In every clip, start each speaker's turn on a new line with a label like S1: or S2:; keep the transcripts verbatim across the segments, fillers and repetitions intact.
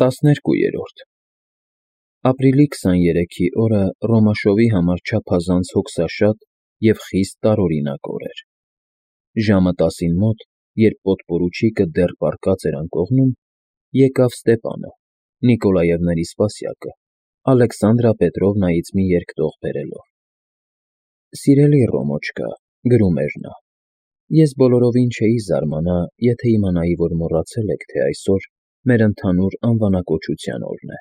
S1: Տասներկուերորդ Ապրիլի քսաներեքի օրը Ռոմաշովի համար չափազանց հոգսաշատ և խիստ տարօրինակ օր էր. ժամը տասին մոտ, երբ պոդպորուչիկը դեռ պառկած էր անկողնում, եկավ Ստեպանը, Նիկոլաևների սպասյակը, Ալեքսանդրա Պետրովնայից մի երկտող բերելով։ «Սիրելի Ռոմոչկա,֊ գրում էր նա,֊ ես բոլորովին չէի զարմանա, եթե իմանայի, որ մոռացել եք, թե այսօր մեր ընդհանուր անվանակոչության օրն է։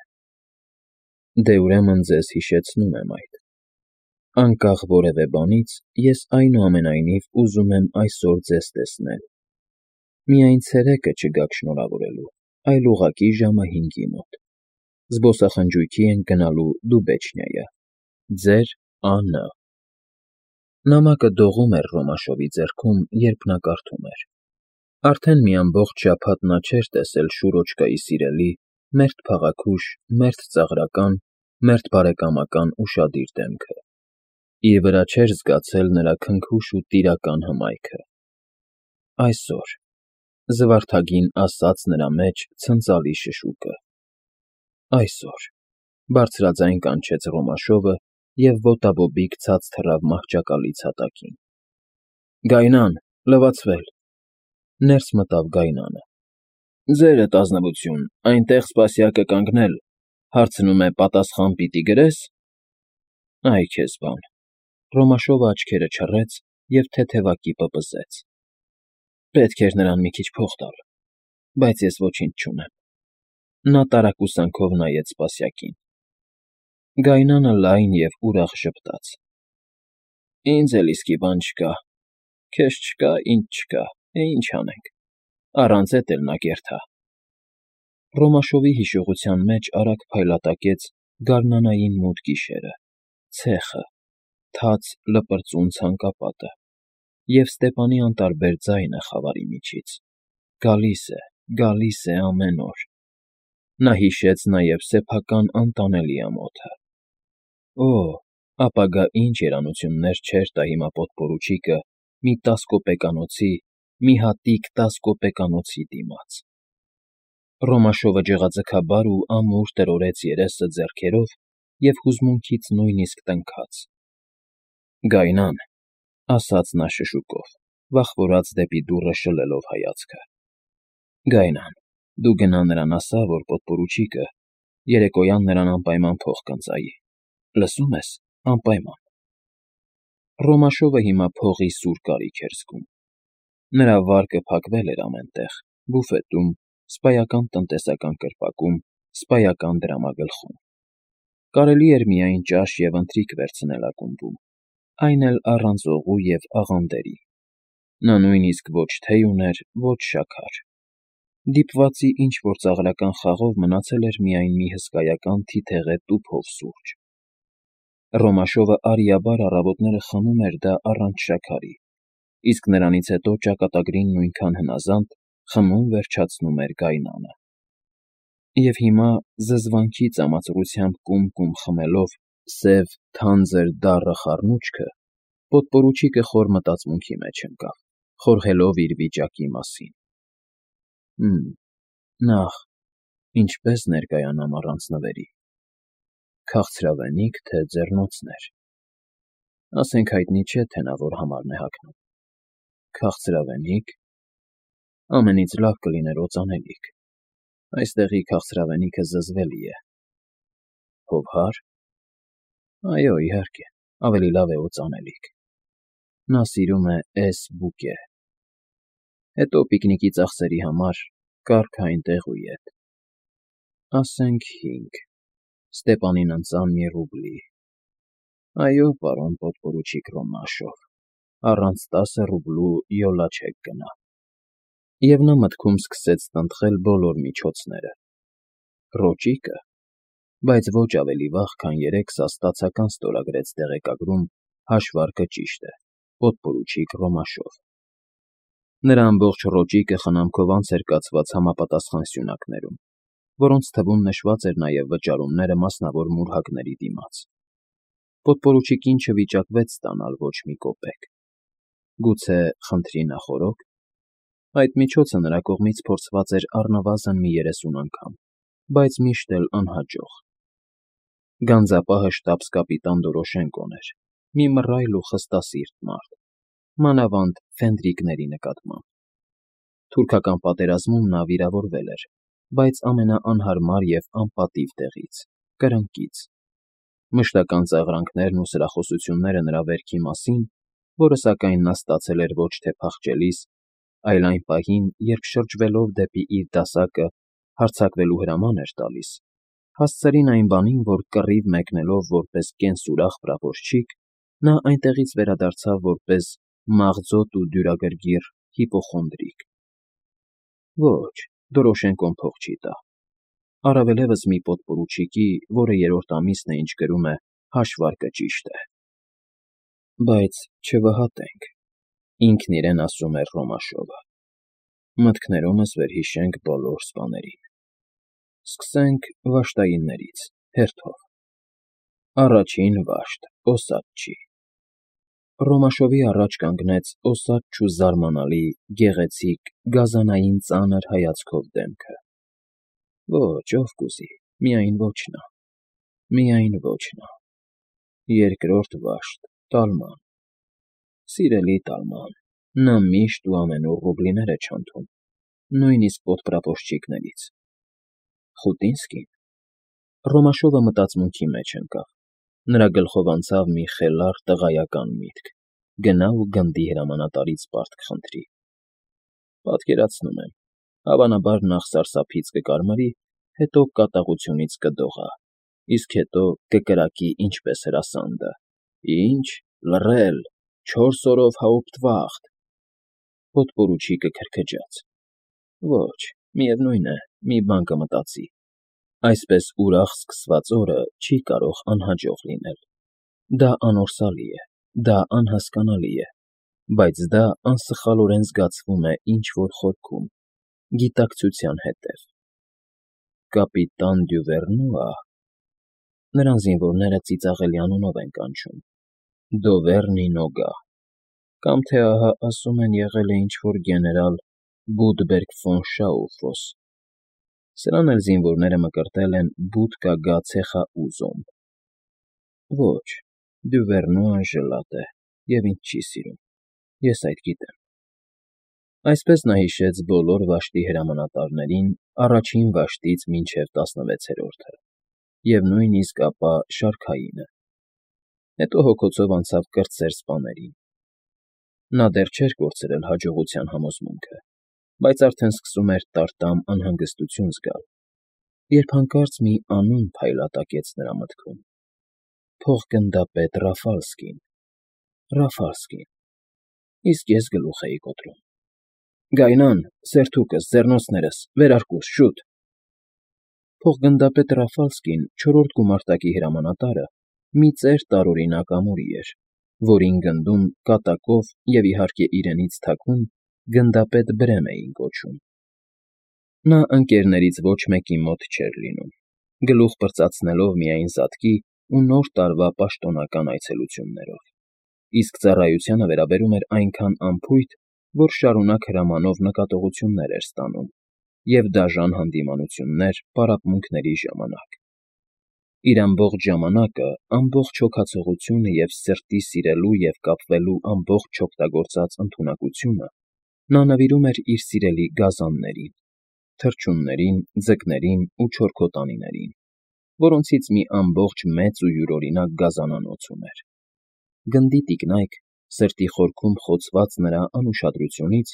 S1: Դե ուրեմն ձեզ հիշեցնում եմ այդ։ Անկախ որևէ բանից, ես այնուամենայնիվ ուզում եմ այսօր ձեզ տեսնել։ Միայն ցերեկը չգաք շնորհավորելու, այլ ուղղակի ժամը հինգի մոտ։ Զբոսախնջույքի ենք գնալու Դուբեչնիայը։ Ձեր Ա. Ն.» Նամակը դողում էր Ռոմաշովի ձեռքում, երբ նա կարդում էր. Արդեն մի ամբողջ շաբաթ նա չէր տեսել Շուրոչկայի սիրելի, մերթ փաղաքուշ, մերթ ծաղրական, մերթ բարեկամական ուշադիր դեմքը, իր վրա չէր զգացել նրա քնքուշ ու տիրական հմայքը։ Այսօր… զվարթագին ասաց նրա մեջ ցնծալի շշուկը։ Այսօր… բարձրաձայն կանչեց Ռոմաշովը և ոտաբոբիկ ցած թռավ մահճակալից հատակին։ «Գայնան, լվացվել…» Ներս մտավ Գայնանը։ «Ձերդ, ազնվություն, այնտեղ սպասյակը կանգնել, հարցնում է պատասխան պիտի գրե՞ս»։ Այ քեզ բան… Ռոմաշովը աչքերը չռեց և թեթևակի պպզեց։ Պետք էր նրան մի քիչ փող տալ, բայց ես ոչինչ չունեմ։ Նա տարակուսանքով նայեց սպասյակին։ Գայնանը լայն և ուրախ ժպտաց. «Ինձ էլ իսկի բան չկա, քեզ չկա, ինձ չկա, է ինչ անենք, առանց էդ էլ նա կերթա»։ Ռոմաշովի հիշողության մեջ արագ փայլատակեց գարնանային մութ գիշերը, ցեխը, թաց լպրծուն ցանկապատը և Ստեպանի անտարբեր ձայնը խավարի միջից. «Գալիս է, գալիս է ամեն օր»։ Նա հիշեց նաև սեփական անտանելի ամոթը։ Օ՜, ապագա ինչ երանություններ չէր տա հիմա պոդպորուչիկը մի տասկոպեկանոցի, մի հատիկ տասկոպեկանոցի դիմաց։ Ռոմաշովը ջղաձգաբար ու ամուր տրորեց երեսը ձեռքերով և հուզմունքից նույնիսկ տնքաց։ «Գայնան…֊ ասաց նա շշուկով, վախվորած դեպի դուռը շլելով հայացքը,֊ Գայնան, դու գնա նրան ասա, որ պոդպորուչիկը երեկոյան նրան անպայման փող կընծայի, լսո՞ւմ ես, անպայման»։ Ռոմաշովը հիմա փողի սուր կարիք էր զգում։ Նրա վարկը փակվել էր ամեն տեղ՝ բուֆետում, սպայական տնտեսական կրպակում, սպայական դրամագլխում։ Կարելի էր միայն ճաշ և ընթրիք վերցնել ակումբում, այն էլ առանց օղու և աղանդերի։ Նա նույնիսկ ոչ թեյ ուներ, ոչ շաքար։ Դիպվածի ինչ֊որ ծաղրական խաղով մնացել էր միայն մի հսկայական թիթեղե տուփով սուրճ։ Ռոմաշովը արիաբար առավոտները խմում էր դա առանց շաքարի, իսկ նրանից հետո ճակատագրին նույնքան հնազանդ խմում֊վերջացնում էր Գայնանը։ Եվ հիմա, զզվանքի ծամածռությամբ կում֊կում խմելով սև, թանձր, դառը խառնուչքը, պոդպորուչիկը խոր մտածմունքի մեջ ընկավ, խորհելով իր վիճակի մասին։ Հը՛մ, նախ, ինչպե՞ս ներկայանամ առանց նվերի։ Քաղցրավենի՞կ, թե ձեռնոցներ։ Ասենք հայտնի չէ, թե նա որ համարն է հագնում։ Քաղցրավենի՞կ… Ամենից լավ կլիներ օծանելիք, այստեղի քաղցրավենիքը զզվելի է։ Հովհա՞ր։ Այո, իհարկե, ավելի լավ է օծանելիք։ Նա սիրում է էս բուկե։ Հետո պիկնիկի ծախսերի համար կառքը այնտեղ ու ետ։ Ասենք հինգ… Ստեպանին ընծան մի ռուբլի… Այո, պարոն պոդպորուչիկ Ռոմաշով, առանց տասը ռուբլու յոլա չեք գնա։ Եվ նա մտքում սկսեց տնտղել բոլոր միջոցները։ Ռոճիկը… Բայց ոչ ավելի վաղ, քան երեկ սա ստացական ստորագրեց տեղեկագրում հաշվարկը ճիշտ է, պոդպորուչիկ Ռոմաշով։ Նրա ամբողջ ռոճիկը խնամքով անց էր կացված համապատասխան սյունակներում, որոնց թվում նշված էր նաև վճարումները մասնավոր մուրհակների դիմաց։ Պոդպորուչիկին չվիճակվեց ստանալ ոչ մի կոպեկ։ Գուցե խնդրի նախօրո՞ք։ Այդ միջոցը նրա կողմից փորձված էր առնվազն մի երեսուն անգամ, բայց միշտ էլ անհաջող։ Գանձապահը շտաբս֊կապիտան Դորոշենկոն էր, մի մռայլ ու խստասիրտ մարդ, մանավանդ ֆենդրիկների նկատմամբ։ Թուրքական պատերազմում նա վիրավորվել էր, բայց ամենաանհարմար և անպատիվ տեղից՝ կրնկից։ Մշտական ծաղրանքներն ու սրախոսությունները նրա վերքի մասին, որը սակայն նա ստացել էր ոչ թե փախչելիս, այլ այն պահին, երբ շրջվելով դեպի իր դասակը հարձակվելու հրաման էր տալիս, հասցրին այն բանին, որ կռիվ մեկնելով որպես կենսուրախ պրապորչիկ, նա այնտեղից վերադարձավ որպես մաղձոտ ու դյուրագրգիռ հիպոխոնդրիկ։ Ոչ, Դորոշենկոն փող չի տա, առավելևս մի պոդպորուչիկի, որը երրորդ ամիսն է, ինչ կրում է հաշվարկը ճիշտ է։ Բայց չվհատենք, ինքն իրեն ասում էր Ռոմաշովը։ Մտքներումս վերհիշենք բոլոր սպաներին։ Սկսենք վաշտայիններից, հերթով։ Առաջին վաշտ՝ Օսատչի։ Ռոմաշովի առաջ կանգնեց օսատչ ու զարմանալի, գեղեցիկ, գազանային ծանր հայացքով դեմքը։ Ոչ, ով կուզի, միայն ոչ նա, միայն ոչ նա։ Երկրորդ վաշտ՝ Տալման։ Սիրելի Տալման, նա միշտ ու ամենուր ռուբլիներ է չանթում, նույնիսկ պոդպրապորչիկներից։ Խուտինսկի՞ն։ Ռոմաշովը մտածմունքի մեջ ընկավ, նրա գլխով անցավ մի խելառ տղայական միտք՝ գնա ու գնդի հրամանատարից պարտք խնդրի։ Պատկերացնում եմ, հավանաբար նախ սարսափից կկարմրի, հետո կատաղությունից կդողա, իսկ հետո կկրակի ինչպես հրասանդը. «Ի՞նչ, լռել, չորս օրով հաուպտվախտ»։ Պոդպորուչիկը քրքջաց. Ոչ, միևնույն է, մի բան կմտածի։ Այսպես ուրախ սկսված օրը չի կարող անհաջող լինել։ Դա անորսալի է, դա անհասկանալի է, բայց դա անսխալորեն զգացվում է ինչ֊որ խորքում, գիտակցության հետև։ Կապիտան Դյուվերնուա… Նրան զինվորները ծիծաղելի անունով են կանչում, Դովեռնի Նոգա, կամ թե ահա ասում են եղել է ինչ֊որ գեներալ Բուդբերգ ֆոն Շաուֆոս, սրան էլ զինվորները մկրտել են Բուդկա Գացեխաուզոմ։ Ոչ, Դյուվերնուան ժլատ է և ինձ չի սիրում, ես այդ գիտեմ։ Այսպես նա հիշեց բոլոր վաշտի հրամանատարներին առաջին վաշտից մինչև տասնվեցերորդը և նույնիսկ ապա շարքայինը, հետո հոգոցով անցավ կրտսեր սպաներին։ Նա դեռ չէր կորցրել հաջողության համոզմունքը, բայց արդեն սկսում էր տարտամ անհանգստություն զգալ, երբ հանկարծ մի անուն փայլատակեց նրա մտքում. փոխգնդապետ Ռաֆալսկին։ Ռաֆալսկին… Իսկ ես գլուխ էի կոտրում։ Գայնան, սերթուկս, ձեռնոցներս, վերարկուս, շուտ… Փոխգնդապետ Ռաֆալսկին, չորրորդ գումարտակի հրամանատարը, մի ծեր տարօրինակ ամուրի էր, որին գնդում կատակով և, իհարկե, իրենից թաքուն գնդապետ Բրեմ էին կոչում։ Նա ընկերներից ոչ մեկի մոտ չէր լինում, գլուխ պրծացնելով միայն զատկի ու Նոր տարվա պաշտոնական այցելություններով, իսկ ծառայությանը վերաբերում էր այնքան անփույթ, որ շարունակ հրամանով նկատողություններ էր ստանում և դաժան հանդիմանություններ պարապմունքների ժամանակ։ Իր ամբողջ ժամանակը, ամբողջ հոգացողությունը և սրտի սիրելու և կապվելու ամբողջ չօգտագործած ընդունակությունը նա նվիրում էր իր սիրելի գազաններին, թռչուններին, ձկներին ու չորքոտանիներին, որոնցից մի ամբողջ մեծ ու յուրօրինակ գազանանոց ուներ։ Գնդի տիկնայք, սրտի խորքում խոցված նրա անուշադրությունից,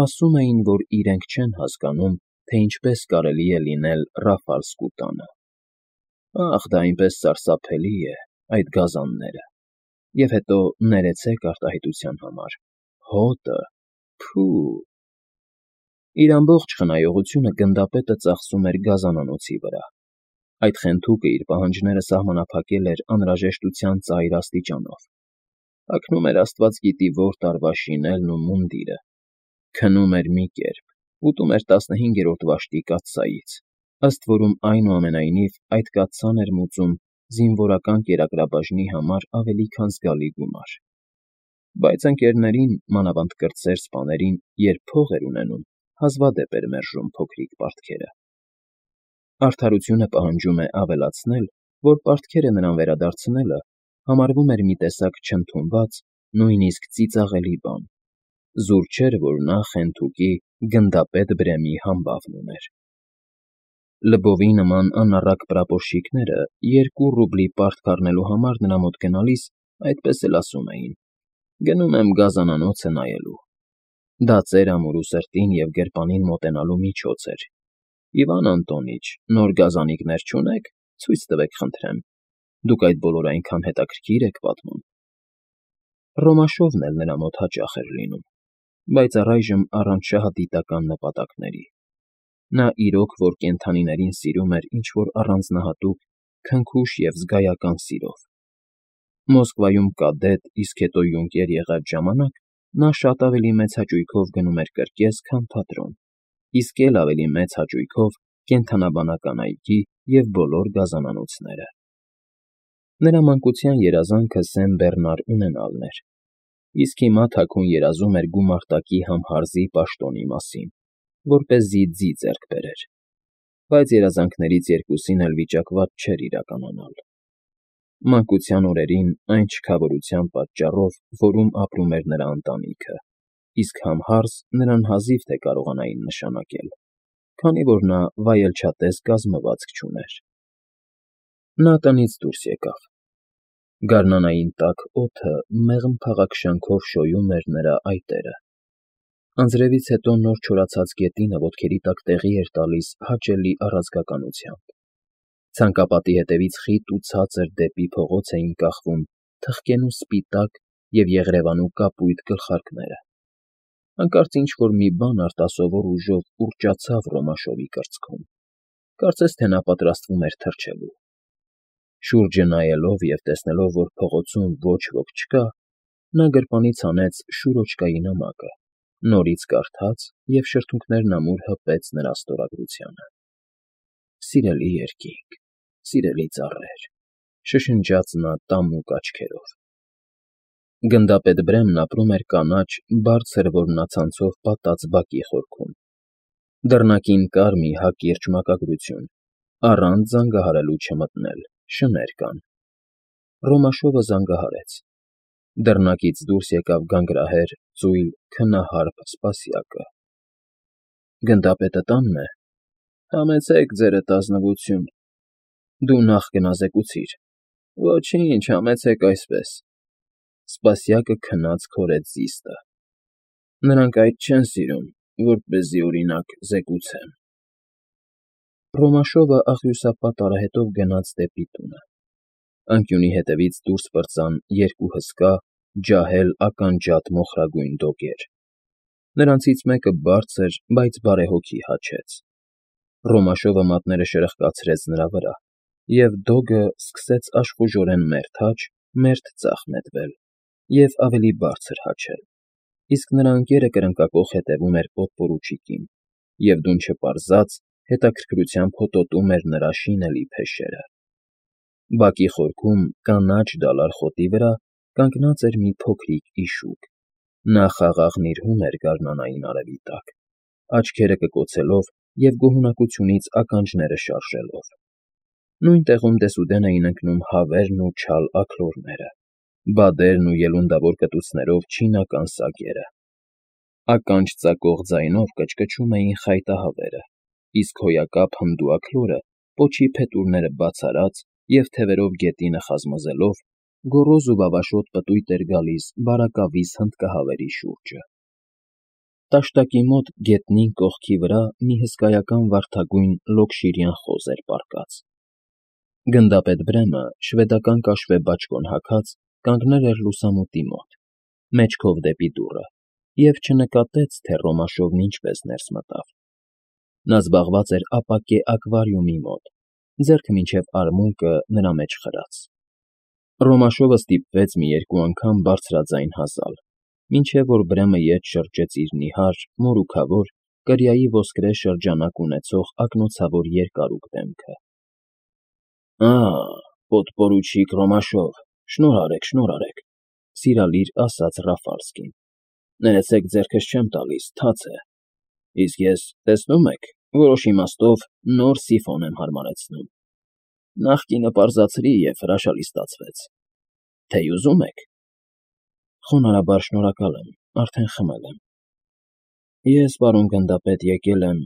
S1: ասում էին, որ իրենք չեն հասկանում, թե ինչպես կարելի է լինել Ռաֆալսկու տանը։ Ախ, դա այնպես սարսափելի է, այդ գազանները… Եվ հետո ներեցեք արտահայտության համար, հոտը… Փո՜ւ… Իր ամբողջ խնայողությունը գնդապետը ծախսում էր գազանանոցի վրա։ Այդ խենթուկը իր պահանջները սահմանափակել էր անհրաժեշտության ծայր աստիճանով, հագնում էր աստված գիտի որ տարվա շինելն ու մունդիրը, քնում էր մի կերպ, ուտում էր տասնհինգերորդ վաշտի կաթսայից, ըստ որում, այնուամենայնիվ, այդ կաթսան էր մուծում զինվորական կերակրաբաժնի համար ավելի քան զգալի գումար։ Բայց ընկերներին, մանավանդ կրտսեր սպաներին, երբ փող էր ունենում, հազվադեպ էր մերժում փոքրիկ պարտքերը։ Արդարությունը պահանջում է ավելացնել, որ պարտքերը նրան վերադարձնելը համարվում էր մի տեսակ չընդունված, նույնիսկ ծիծաղելի բան, զուր չէր, որ նա Խենթուկի գնդապետ Բրեմի համբավն ուներ։ Լբովի նման անառակ պրապորշիկները երկու ռուբլի պարտք առնելու համար նրա մոտ գնալիս այդպես էլ ասում էին. «Գնում եմ գազանանոցը նայելու»։ Դա ծեր ամուրու սրտին և գրպանին մոտենալու միջոց էր։ «Իվան Անտոնիչ, նոր գազանիկներ չունե՞ք, ցույց տվեք, խնդրեմ, դուք այդ բոլորը այնքան հետաքրքիր եք պատմում»։ Ռոմաշովն էլ նրա մոտ հաճախ էր լինում, բայց առայժմ առանց շահադիտական նպատակների։ Նա իրոք որ կենդանիներին սիրում էր ինչ֊որ առանձնահատուկ, քնքուշ և զգայական սիրով։ Մոսկվայում կադետ, իսկ հետո յունկեր եղած ժամանակ նա շատ ավելի մեծ հաճույքով գնում էր կրկես, քան թատրոն, իսկ էլ ավելի մեծ հաճույքով կենդանաբանական այգի և բոլոր գազանանոցները։ Նրա մանկության երազանքը Սեն֊Բեռնար ունենալն էր, իսկ հիմա թաքուն երազում էր գումարտակի համհարզի պաշտոնի մասին, որպեսզի ձի ձեռք բերեր, բայց երազանքներից երկուսին էլ վիճակված չէր իրականանալ։ Մանկության օրերին այն չքավորության պատճառով, որում ապրում էր նրա ընտանիքը, իսկ համհարզ նրան հազիվ թե կարողանային նշանակել, քանի որ նա վայելչատես կազմվածք չուներ։ Նա տնից դուրս եկավ։ Գարնանային տաք օդը մեղմ փաղաքշանքով շոյում էր նրա այտերը։ Անձրևից հետո նոր չորացած գետինը ոտքերի տակ տեղի էր տալիս հաճելի առազգականությամբ։ Ցանկապատի հետևից խիտ ու ցածր դեպի փողոց էին կախվում թխկենու սպիտակ և եղրևանու կապույտ գլխարկները։ Հանկարծ ինչ֊որ մի բան արտասովոր ուժով ուռճացավ Ռոմաշովի կրծքում, կարծես թե նա պատրաստվում էր թռչելու։ Շուրջը նայելով և տեսնելով, որ փողոցում ոչ ոք չկա, նա գրպանից հանեց շուրոչկայի նամակը, նորից կարդաց և շրթունքներն ամուր հպեց նրա ստորագրությանը։ «Սիրելի երկինք, սիրելի ծառեր», շշնջաց նա տամուկ աչքերով։ Գնդապետ Բրեմն ապրում էր կանաչ, բարձր որմնացանցով պատած բակի խորքում։ Դռնակին կար մի հակիրճ մակագրություն՝ առանց զանգահարելու չմտնել, շներ կան։ Ռոմաշովը զանգահարեց։ Դռնակից դուրս եկավ գանգրահեր, ծույլ, քնահարփ Սպասյակը։ «Գնդապետը տա՞նն է»։ «Համեցեք, ձերդ ազնվություն, դու նախ գնազեկուցիր»։ «Ոչինչ, համեցեք այսպես»։ Սպասյակը քնած քորեց զիստը։ «Նրանք այդ չեն սիրում, որպեսզի, օրինակ, զեկուցեմ»։ Ռոմաշովը աղյուսապատ արահետով գնաց դեպի տունը։ Անկյունի հետևից դուրս պրծան երկու հսկա, ջահել ականջատ մոխրագույն դոգեր։ Նրանցից մեկը բարձր, բայց բարեհոգի հաչեց։ Ռոմաշովը մատները շրխկացրեց նրա վրա, և դոգը սկսեց աշխուժորեն մերթ աջ, մերթ ձախ նետվել և ավելի բարձր հաչել, իսկ նրա ընկերը կրնկակոխ հետևում էր պոդպորուչիկին և դուն չպարզած հետաքրքրությամբ հոտոտում էր նրա շինելի փեշերը։ Բակի խորքում, կանաչ դալար խոտի վրա կանգնած էր մի փոքրիկ իշուկ։ Նա խաղաղ նիրհում էր գարնանային արևի տակ, աչքերը կկոցելով և գոհունակությունից ականջները շարժելով։ Նույն տեղում դեսուդեն էին ընկնում հավերն ու չալ աքլորները, բադերն ու ելունդավոր կտուցներով չինական սագերը։ Ականջ ծակող ձայնով կչկչում էին խայտահավերը, իսկ հոյակապ հնդու աքլորը, պոչի փետուրները բաց արած և թևերով գետինը խազմզելով, գոռոզ ու վավաշոտ պտույտ էր գալիս բարակավիզ հնդկահավերի շուրջը։ Տաշտակի մոտ գետնին կողքի վրա մի հսկայական վարդագույն լոկշիրյան խոզ էր պառկած։ Գնդապետ Բրեմը, շվեդական կաշվե բաճկոն հագած, կանգնել էր լուսամուտի մոտ, մեջքով դեպի դուռը, և չնկատեց, թե Ռոմաշովն ինչպես ներս մտավ։ Նա զբաղված էր ապակե ակվարիումի մոտ, ձեռքը մինչև արմունկը նրա մեջ խրած։ Ռոմաշովը ստիպվեց մի երկու անգամ բարձրաձայն հազալ, մինչև որ Բրեմը ետ շրջեց իր նիհար, մորուքավոր, կրիայի ոսկրե շրջանակ ունեցող ակնոցավոր երկարուկ դեմքը։ «Ա՜, պոդպորուչիկ Ռոմաշով, շնորհ արեք, շնորհ արեք», սիրալիր ասաց Ռաֆալսկին։ «Ներեցեք, ձեռքս չեմ տալիս, թաց է։ Իսկ ես, տեսնո՞ւմ եք, որոշ իմաստով նոր սիֆոն եմ հարմարեցնում։ Նախկինը պարզացրի և հրաշալի ստացվեց։ Թեյ ուզում եք։ Խոնարհաբար շնորհակալ եմ, արդեն խմել եմ։ Ես, պարոն գնդապետ, եկել եմ…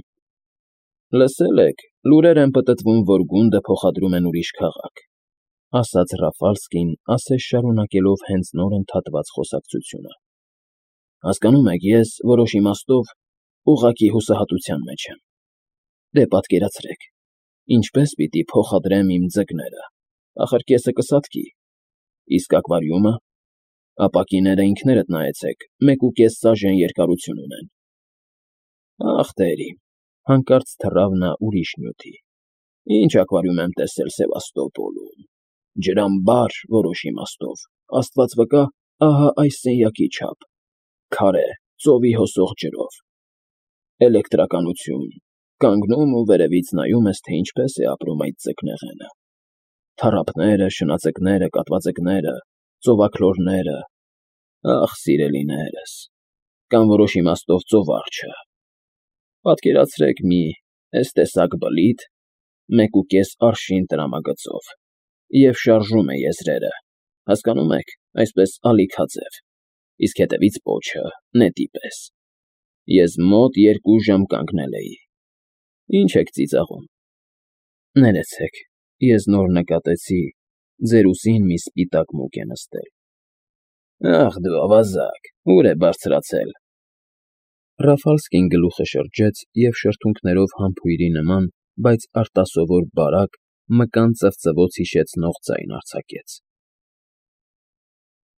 S1: Լսել եք, լուրեր են պտտվում, որ գունդը փոխադրում են ուրիշ քաղաք, ասաց Ռաֆալսկին, ասես շարունակելով հենց նոր ընդհատված խոսակցությունը։ Հասկանում եք, ես, որոշ իմաստով, ուղղակի հուսահատության մեջ եմ։ Դե պատկերացրեք, ինչպես պիտի փոխադրեմ իմ ձկները, ախր կեսը կսատկի, իսկ ակվարիումը… Ապակիները ինքներդ նայեցեք, մեկուկես սաժեն երկարություն ունեն։ Ախ, տերիմ, հանկարծ թռավ նա ուրիշ նյութի։ Ինչ ակվարիում եմ տեսել Սևաստոպոլում… Ջրամբար, որոշ իմաստով, աստված վկա, ահա այս սենյակի չափ, քարե, ծովի հոսող ջրով… Էլեկտրականություն, կանգնում ու վերևից նայում ես, թե ինչպես է ապրում այդ ձկնեղենը… Թառափները, շնաձկները, կատվաձկները, ծովաքլորները… Ախ, սիրելիներս, կամ որոշ իմաստով ծովարջը… Պատկերացրեք մի էս տեսակ բլիթ, մեկուկես արշին տրամագծով, և շարժում է եզրերը, հասկանում եք, այսպես ալիքաձև, իսկ հետևից պոչը, նետի պես… Ես մոտ երկու ժամ կանգնել էի… Ինչ եք ծիծաղում… Ներեցեք, ես նոր նկատեցի, ձեր ուսին մի սպիտակ մուկ է նստել… Ախ դու ավազակ, ուր է բարձրացել… Ռաֆալսկին գլուխը շրջեց և շրթունքներով համբույրի նման, բայց արտասովոր բարակ, մկան ծվծվոց հիշեցնող ձայն արձակեց։